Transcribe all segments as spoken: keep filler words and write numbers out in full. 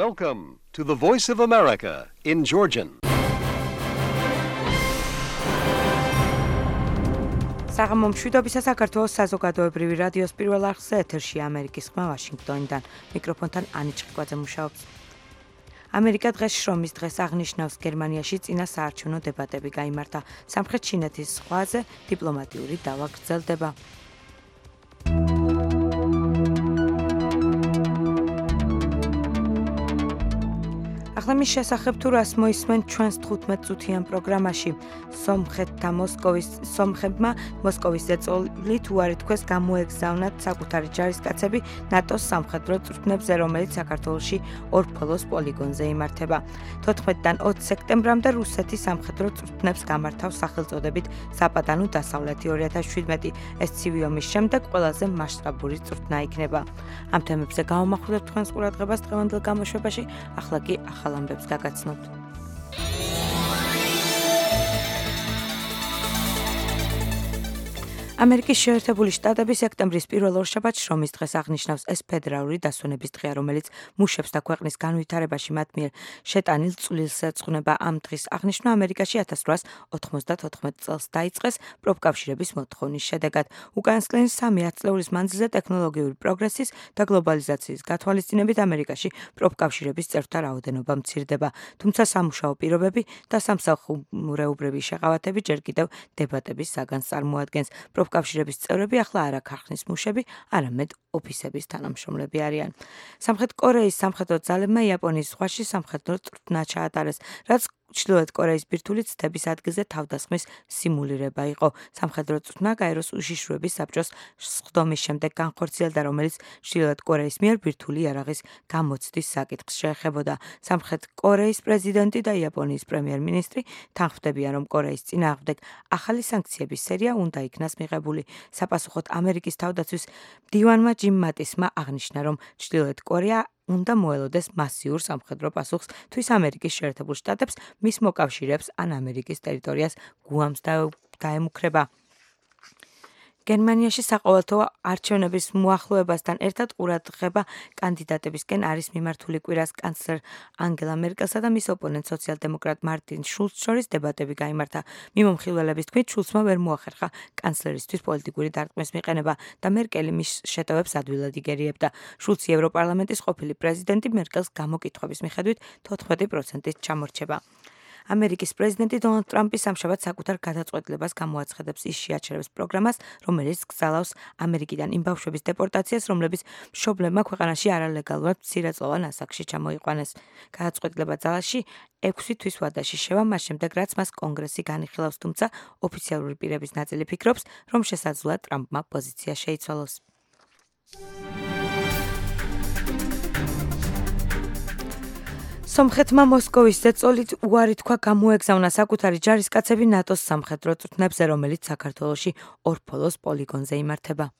Welcome to the Voice of America in Georgian. საღამო მშვიდობისა საქართველოს საზოგადოებრივი რადიოს პირველ არხზე ეთერში ამერიკის ხმა ვაშინგტონიდან. მიკროფონთან ანი ჭყიკვაძე მუშაობს. ამერიკა დღეს შრომის დღეს აღნიშნავს. გერმანიაში წინა საარჩევნო დებატები გაიმართა. სამხრეთ ჩინეთის ზღვაზე დიპლომატიური დავა გრძელდება. ახლა მის შესახებ თუ რას მოისმენ ჩვენს თხუთმეტ წუთიან პროგრამაში. სომხეთთა მოსკოვის სომხებმა მოსკოვის ზეწოლით უარი თქვეს გამოეგზავნათ საკუთარი ჯარისკაცები ნატოს სამხედრო წვრთნებზე, რომელიც საქართველოში ორფოლოს პოლიგონზე იმართება. თოთხმეტიდან ოცი სექტემბრამდე რუსეთის სამხედრო წვრთნებს გამართავს სახელწოდებით საპატანო დასავლეთი ორი ათას შვიდმეტი. ეს ცივი ომის შემდეგ ყველაზე მასშტაბური წვრთნა იქნება. ამ თემებზე გავამახვილებთ თქვენს ყურადღებას დღევანდელ გამოშვებაში, ახლა კი ახალ ამბებს გაგაცნობთ. ამერიკის შეერთებული შტატები სექტემბრის პირველ ორშაბათს შრომის დღეს აღნიშნავს. ეს ფედერალური დასვენების დღეა, რომელიც მუშებს და ქვეყნის განვითარებაში მათ მიერ შეტანილ წვლილს ეძღვნება. ამ დღის აღნიშვნა ამერიკაში ათას რვაასა ოთხმოცდათოთხმეტ წელს დაიწყეს პროფკავშირების მოთხოვნის შედეგად. უკანასკნელი სამი ათწლეულის მანძილზე ტექნოლოგიური პროგრესის და გლობალიზაციის გათვალისწინებით ამერიკაში პროფკავშირების წევრთა რაოდენობა მცირდება. თუმცა სამუშაო პირობები და სამსახურეობრივი შეღავათები ჯერ კიდევ დებატების საგანს წარმოადგენს. პროფკავშირების წევრები ახლა არა ქარხნის მუშები, არამედ ოფისების თანამშრომლები არიან. სამხრეთ კორეის სამხედრო ძალებმა იაპონიის ზღვაში სამხედრო წვრთნა ჩაატარეს, რაც ჩრდილოეთ კორეის ბირთვული ცდების ადგილზე თავდასხმის სიმულირება იყო. სამხედრო წვრთნა გაეროს უშიშროების საბჭოს სხდომის შემდეგ განხორციელდა, რომელიც ჩრდილოეთ კორეის მიერ ბირთვული იარაღის გამოცდის საკითხს შეეხებოდა. სამხრეთ კორეის პრეზიდენტი და იაპონიის პრემიერ-მინისტრი თანხმდებიან, რომ კორეის წინააღმდეგ ახალი სანქციების სერია უნდა იქნას მიღებული. საპასუხოდ ამერიკის თავდაცვის მდივანმა ჯიმ მატისმა აღნიშნა, რომ ჩრდილოეთ კორეა უნდა მოელოდეს მასიურ სამხედრო პასუხს, თვის ამერიკის შეერთებულ შტატებს მის მოკავშირეებს ან ამერიკის ტერიტორიას გუამს დაემუქრება. გერმანიაში საყოველთაო არჩევნების მოახლოებასთან ერთად ყურადღება კანდიდატებისკენ არის მიმართული კვირას კანცლერ ანგელა მერკელსა და მის ოპონენტ სოციალ-დემოკრატ მარტინ შულცს შორის დებატები გაიმართა. მიმომხილველების თქმით, შულცმა ვერ მოახერხა კანცლერისთვის პოლიტიკური დარტყმის მიყენება და მერკელი მის შეტევებს ადვილად იგერიებდა. შულცი ევროპარლამენტის ყოფილი პრეზიდენტი მერკელს გამოკითხვების მიხედვით თოთხმეტი პროცენტით ჩამორჩება. ამერიკის პრეზიდენტი დონალდ ტრამპი სამშაბათს საკუთარ გადაწყვეტილებას გამოაცხადებს ის შეაჩერებს პროგრამას, რომელიც გზავნავს ამერიკიდან იმ ბავშვების დეპორტაციას, რომლებიც მშობლებმა ქვეყანაში არალეგალურად მცირეწლოვან ასაკში ჩამოიყვანეს. გადაწყვეტილება ძალაში ექვსი თვის ვადაში შევა, მას შემდეგ რაც მას კონგრესი განიხილავს, თუმცა ოფიციალური პირების ნაწილი ფიქრობს, რომ შესაძლოა ტრამპმა პოზიცია შეიცვალოს. სომხეთმა მოსკოვის ზეწოლით უარი თქვა გამოეგზავნა საკუთარი ჯარისკაცები ნატოს სამხედრო წვრთნებზე, რომელიც საქართველოში ორფოლოს პოლიგონზე იმართება.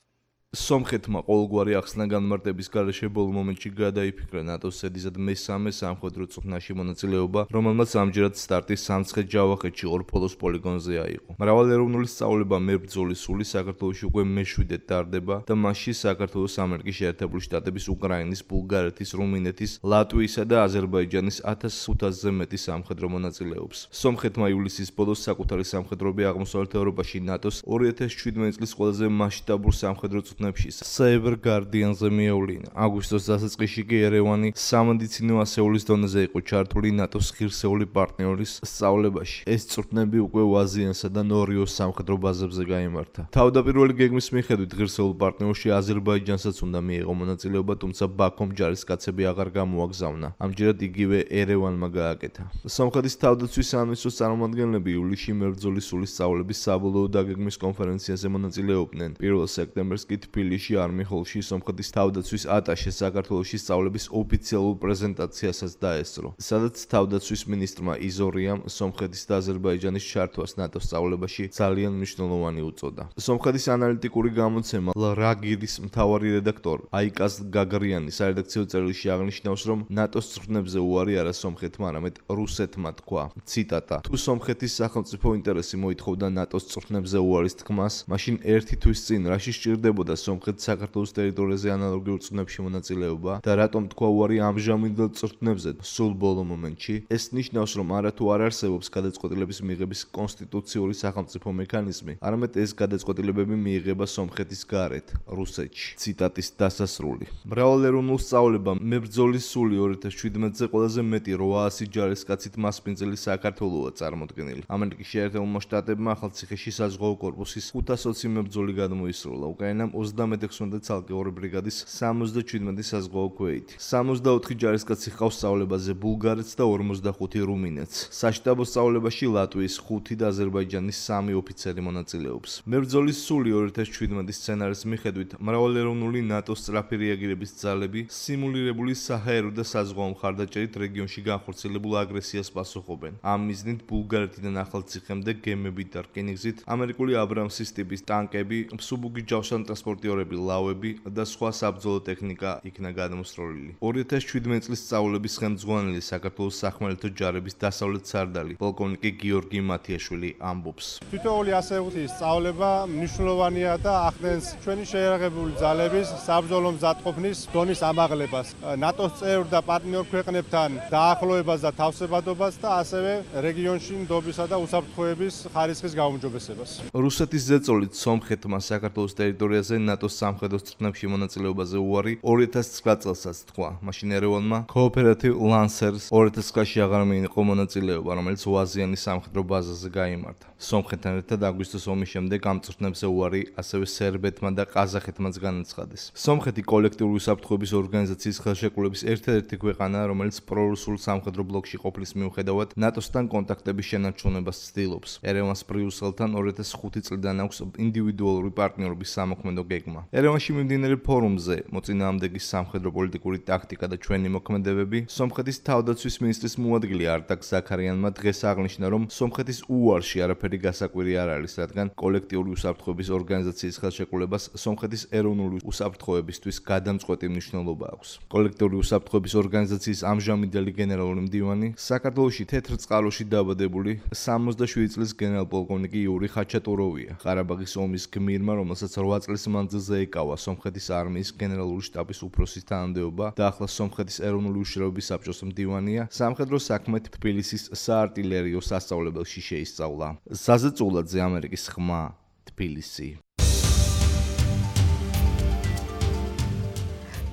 სომხეთმა ყოველგვარი ახსნა განმარტების გარეშე ბოლო მომენტში გადაიფიქრა ნატოს ზედიზად მესამე სამხედრო წვრთნაში მონაწილეობა, რომელმაც ამჯერად სტარტი სამცხე-ჯავახეთში ორფოლოს პოლიგონზე აიღო. მრავალეროვნული სწავლება მებრძოლი სული საქართველოში უკვე მეშვიდედ ტარდება და მასში საქართველოს ამერიკის შეერთებული შტატების, უკრაინის, ბულგარეთის, რუმინეთის, ლატვიისა და აზერბაიჯანის ათას ხუთასზე მეტი სამხედრო მონაწილეობს. სომხეთმა ივლისის ბოლოს საკუთარი სამხედროები აღმოსავლეთ ევროპაში ნატოს ორი ათას შვიდმეტი წლის ყველაზე მასშტაბურ სამხედრო Cyber Guardian-ზე მიევლინა. აგვისტოს დასაწყისში კი ერევანი სამედიცინო ასეულის დონეზე იყო ჩართული ნატოს ღირსეული პარტნიორის სწავლებაში. ეს წვრთნები უკვე ვაზიანსა და ნორიოს სამხედრო ბაზებზე გაიმართა. თავდაპირველი გეგმის მიხედვით ღირსეულ პარტნიორში აზერბაიჯანსაც უნდა მიიღო მონაწილეობა, თუმცა ბაქომ ჯარისკაცები აღარ გამოაგზავნა. ამჯერად იგივე ერევანმა გააკეთა. სომხეთის თავდაცვის სამინისტროს წარმომადგენლები ივლისში მებრძოლის სულის სწავლების საბოლოო დაგეგმვის კონფერენციაზე მონაწილეობდნენ. პირველ სექტემბერს კი თბილისში არმი-ჰოლში სომხეთის თავდაცვის ატაშე საქართველოში სწავლების ოფიციალურ პრეზენტაციასაც დაესწრო, სადაც თავდაცვის მინისტრმა იზორიამ სომხეთის და აზერბაიჯანის ჩართვას ნატოს სწავლებაში ძალიან მნიშვნელოვანი უწოდა. სომხეთის ანალიტიკური გამოცემა ლრაგირის მთავარი რედაქტორი აიკაზ გაგრიანი სარედაქციო წერილში აღნიშნავს, რომ ნატოს წვრთნებზე უარი არა სომხეთმა, არამედ რუსეთმა თქვა. ციტატა: თუ სომხეთის სახელმწიფო ინტერესი მოითხოვდა ნატოს წვრთნებზე უარის თქმას, მაშინ ერთი თვის წინ რაში სჭირდებოდა სომხეთს საქართველოს ტერიტორიაზე ანალოგიურ წვრთნებში მონაწილეობა და რატომ თქვა უარი ამჟამინდელ წვრთნებზე სულ ბოლო მომენტში? ეს ნიშნავს, რომ არათუ არ არსებობს გადაწყვეტილების მიღების კონსტიტუციური სახელმწიფო მექანიზმი, არამედ ეს გადაწყვეტილებები მიიღება სომხეთის გარეთ, რუსეთში. ციტატის დასასრული. მრავალეროვნულ სწავლებამ მებრძოლის სული ორი ათას შვიდმეტზე ყველაზე მეტი რვაასი ჯარისკაცით მასპინძელი საქართველოა წარმოდგენილი. ამერიკის შეერთებულმა შტატებმა ახალციხეში საზღვაო კორპუსის ხუთას ოცი მებრძოლი გადმოისროლა. უკრაინამ ოცდამეტი ცალკე ორი ბრიგადის სამოცდაჩვიდმეტი საზღვაო ქვეითი. სამოცდაოთხი ჯარისკაცი ჰყავს სწავლებაზე ბულგარეთს და ორმოცდახუთი რუმინეთს. საშტაბო სწავლებაში ლატვიის ხუთი და აზერბაიჯანის სამი ოფიცერი მონაწილეობს. მებრძოლის სული ორი ათას შვიდმეტი სცენარის მიხედვით მრავალეროვნული ნატოს სწრაფი რეაგირების ძალები სიმულირებული საჰაერო და საზღვაო მხარდაჭერით რეგიონში განხორციელებულ აგრესიას პასუხობენ. ამ მიზნით ბულგარეთიდან ახალციხემდე გემებით და რკინიგზით ამერიკული აბრამსის ტიპის ტანკები, მსუბუქი ჯავშანტრანსპორტიორები, ლავები და სხვა საბრძოლო ტექნიკა იქნა გადამოსროლილი. ორი ათას შვიდმეტი წლის სწავლების ხელმძღვანელი საქართველოს სახმელეთო ჯარების დასავლეთ სარდალი პოლკოვნიკი გიორგი მათიაშვილი ამბობს. თითოეული ასეთი სწავლება მნიშვნელოვანია და ახდენს ჩვენი შეიარაღებული ძალების საბრძოლო მზადყოფნის დონის ამაღლებას, ნატოს წევრ და პარტნიორ ქვეყნებთან დაახლოებას და თავსებადობას და ასევე რეგიონში ნდობისა და უსაფრთხოების ხარისხის გაუმჯობესებას. რუსეთის ზეწოლით სომხეთმა საქართველოს ტერიტორიაზე ნატოს სამხედრო წვრთნებში მონაწილეობაზე უარი ორი ათას ცხრა წელსაც თქვა. მაშინ ერევანმა Cooperative Lancers ორი ათას ცხრაში აღარ მიიღო მონაწილეობა, რომელიც უაზიანის სამხედრო ბაზაზე გაიმართა. სომხეთთან ერთად აგვისტოს ომის შემდეგ ამ წვრთნებზე უარი ასევე სერბეთმა და ყაზახეთმაც განაცხადეს. სომხეთი კოლექტიური უსაფრთხოების ორგანიზაციის ხელშეკრულების ერთადერთი ქვეყანაა, რომელიც პრორუსულ სამხედრო ბლოკში ყოფნის მიუხედავად ნატოსთან კონტაქტების შენარჩუნებას ცდილობს. ერევანს ბრიუსელთან ორი ათას ხუთი წლიდან აქვს ინდივიდუალური პარტნიორობის სამოქმედო გეგმა. ერევანში მიმდინარე ფორუმზე მოწინააღმდეგის სამხედრო პოლიტიკური ტაქტიკა და ჩვენი მოქმედებები სომხეთის თავდაცვის მინისტრის მოადგილე არტაკ ზაქარიანმა დღეს აღნიშნა, რომ სომხეთის უარში არაფერი გასაკვირი არ არის, რადგან კოლექტიური უსაფრთხოების ორგანიზაციის ხელშეკრულებას სომხეთის ეროვნული უსაფრთხოებისთვის გადამწყვეტი მნიშვნელობა აქვს. კოლექტიური უსაფრთხოების ორგანიზაციის ამჟამინდელი გენერალური მდივანი საქართველოში თეთრ წყაროში დაბადებული სამოცდაშვიდი წლის გენერალ-პოლკოვნიკი იური ხაჩატუროვია. ყარაბაღის ომის გმირმა, რომელსაც რვა წლის მანძილზე ეკავა სომხეთის არმიის გენერალური შტაბის უფროსის თანამდებობა და ახლა სომხეთის ეროვნული უშიშროების საბჭოს მდივანია, სამხედრო საქმეთ თბილისის საარტილერიო სასწავლებელში შეისწავლა. ზაზე წულაძე, ამერიკის ხმა, თბილისი.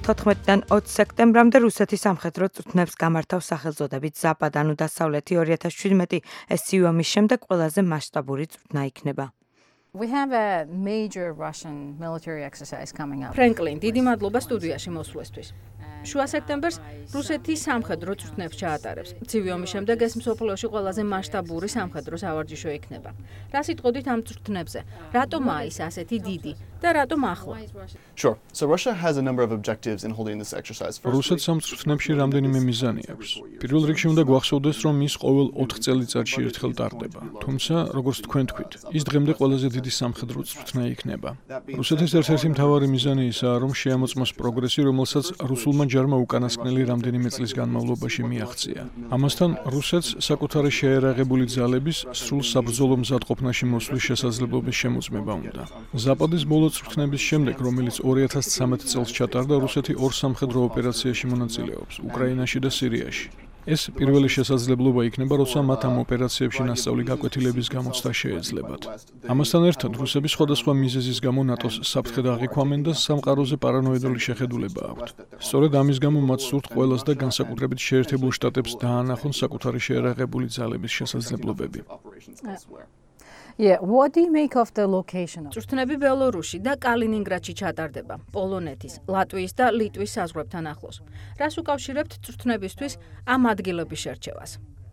თოთხმეტიდან ოცი სექტემბრამდე რუსეთის სამხედრო წვრთნებს გამართავს სახელწოდებით ზაპად, ანუ დასავლეთი. ორი ათას შვიდმეტი ეს ომის შემდეგ ყველაზე მასშტაბური წვრთნა იქნება. We have a major Russian military exercise coming up. Franklin, დიდი მადლობა სტუდიაში მოსვლისთვის. შუა სექტემბერს რუსეთი სამხედრო წვრთნებს ჩაატარებს. ცივი ომის შემდეგ ეს მსოფლიოში ყველაზე მასშტაბური სამხედრო სავარჯიშო იქნება. რა სიტყოდით ამ წვრთნებზე? რატომაა ის ასეთი დიდი და რატომ ახლა? Sure. So Russia has a number of objectives in holding this exercise. რუსეთს ამ წვრთნებში რამდენიმე მიზანი აქვს. პირველ რიგში უნდა გვახსოვდეს, რომ ის ყოველ ოთხ წელიწადში ერთხელ ტარდება. თუმცა, როგორც თქვენ თქვით, ის დღემდე ყველაზე დიდი სამხედრო წვრთნა იქნება. რუსეთის ერთ-ერთი მთავარი მიზანი ისაა, რომ შეამოწმოს პროგრესი, რომელსაც რუსულმა ჯარმა უკანასკნელი რამდენიმე წლის განმავლობაში მიაღწია. ამასთან, რუსეთს საკუთარი შეიარაღებული ძალების სრულ საბრძოლო მზადყოფნაში მოსვლის შესაძლებლობის შემოწმება უნდა. ზაპადის ბოლო წვრთნების შემდეგ, რომელიც ორი ათას ცხრამეტ წელს ჩატარდა, რუსეთი ორ სამხედრო ოპერაციაში მონაწილეობს, უკრაინაში და სირიაში. ეს პირველი შესაძლებლობა იქნება, როცა მათ ამ ოპერაციებში ნასწავლი გაკვეთილების გამოცდა შეეძლებათ. ამასთან ერთად, რუსები სხვადასხვა მიზეზის გამო ნატოს საფრთხედ აღიქვამენ და სამყაროზე პარანოიდული შეხედულება აქვთ. სწორედ ამის გამო მათ სურთ ყველას და განსაკუთრებით შეერთებულ შტატებს დაანახონ საკუთარი შეიარაღებული ძალების შესაძლებლობები. Yeah, what do you make of the location? წვრთნები ბელორუსში და კალინინგრადში ჩატარდება, პოლონეთის, ლატვიის და ლიტვის საზღვრებთან ახლოს. რას უკავშირებთ წვრთნებისთვის ამ ადგილების შერჩევას?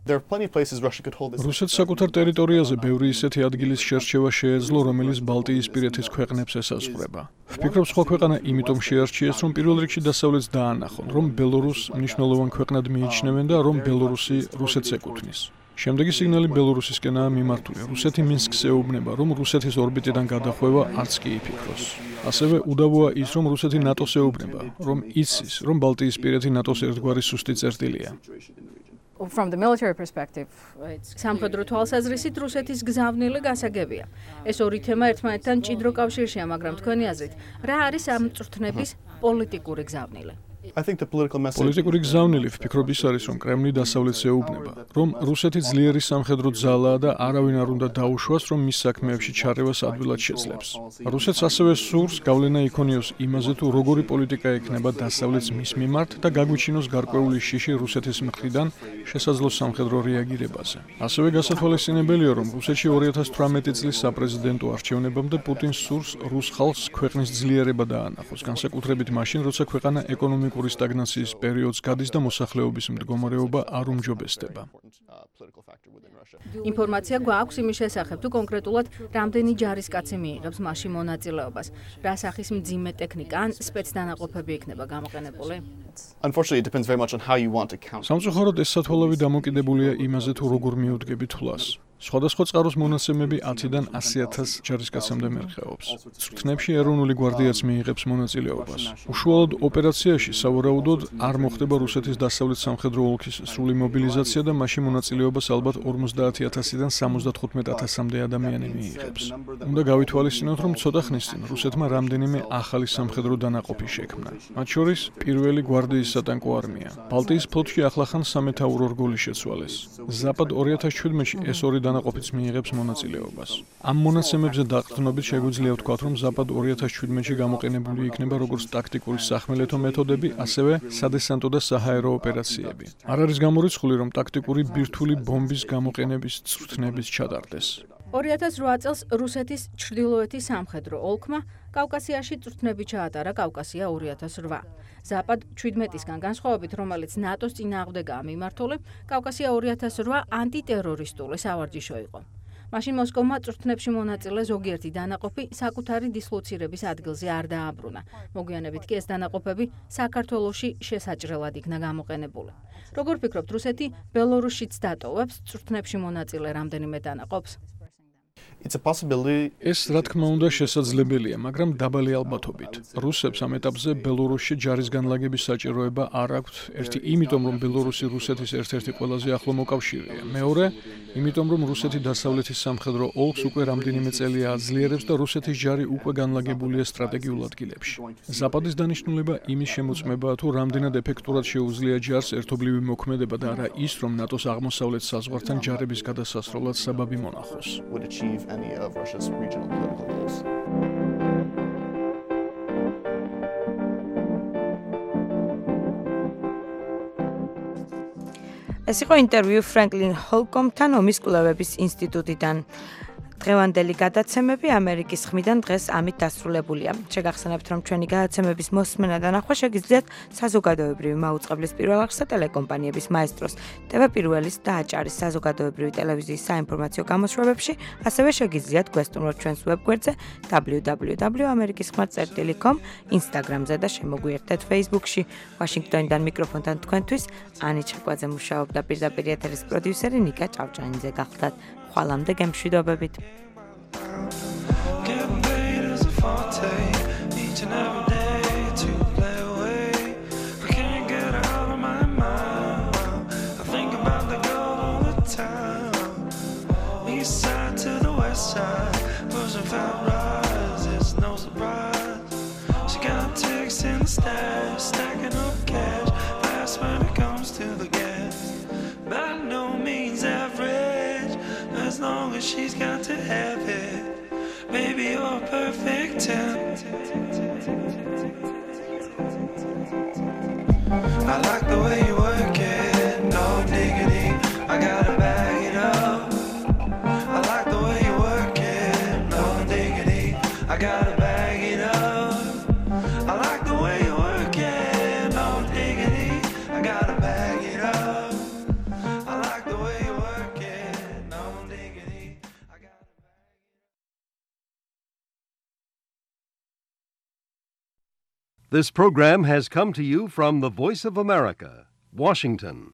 There are plenty of places Russia could hold this. რუსეთს საკუთარ ტერიტორიაზე ბევრი ისეთი ადგილის შერჩევა შეეძლო, რომელიც ბალტიისპირეთის ქვეყნებს ესაზღვრება. ვფიქრობ, სხვა ქვეყანა იმიტომ შეარჩიეს, რომ პირველ რიგში დასავლეთს დაანახონ, რომ ბელორუსს მნიშვნელოვან ქვეყნად მიიჩნევენ და რომ ბელორუსი რუსეთს ეკუთვნის. შემდეგი სიგნალი ბელორუსისკენაა მიმართული. რუსეთი მინსკს ეუბნება, რომ რუსეთის ორბიტიდან გადახვევა არც კი იფიქროს. ასევე უდავოა ის, რომ რუსეთი ნატოს ეუბნება, რომ იცის, რომ ბალტიისპირეთი ნატოს ერთგვარი სუსტი წერტილია. From the military perspective, it's სამხედრო თვალსაზრისით რუსეთის გზავნილი გასაგებია. ეს ორი თემა ერთმანეთთან მჭიდრო კავშირშია, მაგრამ თქვენი აზრით, რა არის ამ წვრთნების პოლიტიკური გზავნილი? I think the political message პოლიტიკური გზავნილი ვფიქრობ ის არის, რომ კრემლი დასავლეთს ეუბნება, რომ რუსეთი ძლიერი სამხედრო ძალაა და არავინ არ უნდა დაუშვას, რომ მის საქმეებში ჩარევას ადვილად შეძლებს. რუსეთს ასევე სურს გავლენა იქონიოს იმაზე, თუ როგორი პოლიტიკა ექნება დასავლეთს მის მიმართ და გაგვიჩინოს გარკვეული შიში რუსეთის მხრიდან შესაძლო სამხედრო რეაგირებაზე. ასევე გასათვალისწინებელია, რომ რუსეთში ორი ათას თვრამეტი წლის საპრეზიდენტო არჩევნებამდე პუტინს სურს რუს ხალხს ქვეყნის ძლიერება დაანახოს, განსაკუთრებით მაშინ, როცა ქვეყანა ეკონომიკურ სტაგნაციის პერიოდს გადის და მოსახლეობის მდგომარეობა არ უმჯობესდება. ინფორმაცია გვაქვს იმის შესახებ, თუ კონკრეტულად რამდენი ჯარისკაცი მიიღებს მასში მონაწილეობას, რა სახის მძიმე ტექნიკა ან სპეცდანაყოფები იქნება გამოყენებული? Unfortunately, it depends very much on how you want to count. სამწუხაროდ ეს სათვალავი დამოკიდებულია იმაზე, თუ როგორ მიუდგები თვლას. სხვადასხვა წყაროს მონაცემები ათიდან ასი ათას ჯარისკაცამდე მერხეობს. წვრთნებში ეროვნული გვარდიაც მიიღებს მონაწილეობას. უშუალოდ ოპერაციაში სავარაუდოდ არ მოხდება რუსეთის დასავლეთ სამხედრო ოლქის სრული მობილიზაცია და მასში მონაწილეობას ალბათ ორმოცდაათი ათასიდან სამოცდათხუთმეტ ათასამდე ადამიანი მიიღებს. უნდა გავითვალისწინოთ, რომ ცოტა ხნის წინ რუსეთმა რამდენიმე ახალი სამხედრო დანაყოფი შექმნა. მათ შორის პირველი გვარდიის სატანკო არმია. ბალტიის ფლოტში ახლახან სამეთაურო რგოლი შეცვალეს. ზაპად ორი ათას შვიდმეტში ეს ორი დანაყოფიც მიიღებს მონაწილეობას. ამ მონაცემებზე დაყრდნობით შეგვიძლია ვთქვათ, რომ ზაპად ორი ათას შვიდმეტში გამოყენებული იქნება როგორც ტაქტიკური სახმელეთო მეთოდები, ასევე სადესანტო და საჰაერო ოპერაციები. არ არის გამორიცხული, რომ ტაქტიკური ბირთვული ბომბის გამოყენების წვრთნებიც ჩატარდეს. ორი ათას რვა წელს რუსეთის ჩრდილოეთის სამხედრო ოლქმა კავკასიაში წვრთნები ჩაატარა კავკასია ორი ათას რვა. ზაპად შვიდმეტისგან განსხვავებით, რომელიც ნატოს წინააღმდეგაა მიმართული, კავკასია ორი ათას რვა ანტიტერორისტული სავარჯიშო იყო. მაშინ მოსკოვმა წვრთნებში მონაწილე ზოგიერთი დანაყოფი საკუთარი დისლოცირების ადგილზე არ დააბრუნა. მოგვიანებით კი ეს დანაყოფები საქართველოში შესაჭრელად იქნა გამოყენებული. როგორ ფიქრობთ, რუსეთი ბელორუსშიც დატოვებს წვრთნებში მონაწილე რამდენიმე დანაყოფს? It's a possibility. ეს რა თქმა უნდა შესაძლებელია, მაგრამ დაბალი ალბათობით. რუსებს ამ ეტაპზე ბელორუსში ჯარის განლაგების საჭიროება არ აქვთ. ერთი, იმიტომ რომ ბელორუსი რუსეთის ერთ-ერთი ყველაზე ახლო მოკავშირეა. მეორე, იმიტომ რომ რუსეთი დასავლეთის სამხედრო ოლქს უკვე რამდენიმე წელია აძლიერებს და რუსეთის ჯარი უკვე განლაგებულია სტრატეგიულ ადგილებში. ზაპადის დანიშნულება იმის შემოწმებაა, თუ რამდენად ეფექტურად შეუძლია ჯარს ერთობლივი მოქმედება და არა ის, რომ ნატოს აღმოსავლეთ საზღვართან ჯარების გადასასროლად საბაბი მონახოს. Would achieve any of Russia's regional political goals. ეს იყო ინტერვიუ ფრანკლინ ჰოლკომთან ომის კვლევების ინსტიტუტიდან. დღევანდელი გადაცემები ამერიკის ხმიდან დღეს ამით დასრულებულია. შეგახსენებთ, რომ ჩვენი გადაცემების მოსმენა და ნახვა შეგიძლიათ საზოგადოებრივი მაუწყებლის პირველ არხსა ტელეკომპანიების მაესტროს, ტევ პირველის და აჭარის საზოგადოებრივი ტელევიზიის საინფორმაციო გამოშვებებში, ასევე შეგიძლიათ გვესტუმროთ ჩვენს ვებგვერდზე დაბლიუ დაბლიუ დაბლიუ ამერიკის ხმა წერტილი კომ, ინსტაგრამზე და შემოგვიერთდეთ Facebook-ში. ვაშინგტონიდან მიკროფონთან თქვენთვის ანი ჩაკვაძე მუშაობდა, პირდაპირ ეთერის პროდიუსერი ნიკა ჭავჭანიძე გახლდათ. ხვალამდე გემშვიდობებით. Get paid as a forte each and every day to play away. I can't get out of my mind. I think about the girl all the time. East side to the west side, pushing fat rides, it's no surprise. She got ticks in the stash, stacking up cash, fast when it comes to the gas. By no means average, as long as she's got to have it. Baby, you're a perfect ten. I like the way you work it, no diggity. I gotta bag it up. I like the way you work it, no diggity. I gotta bag it up. I like the way you work it, no diggity. I gotta bag it up. I like the way you work it, no diggity. I gotta This program has come to you from the Voice of America, Washington.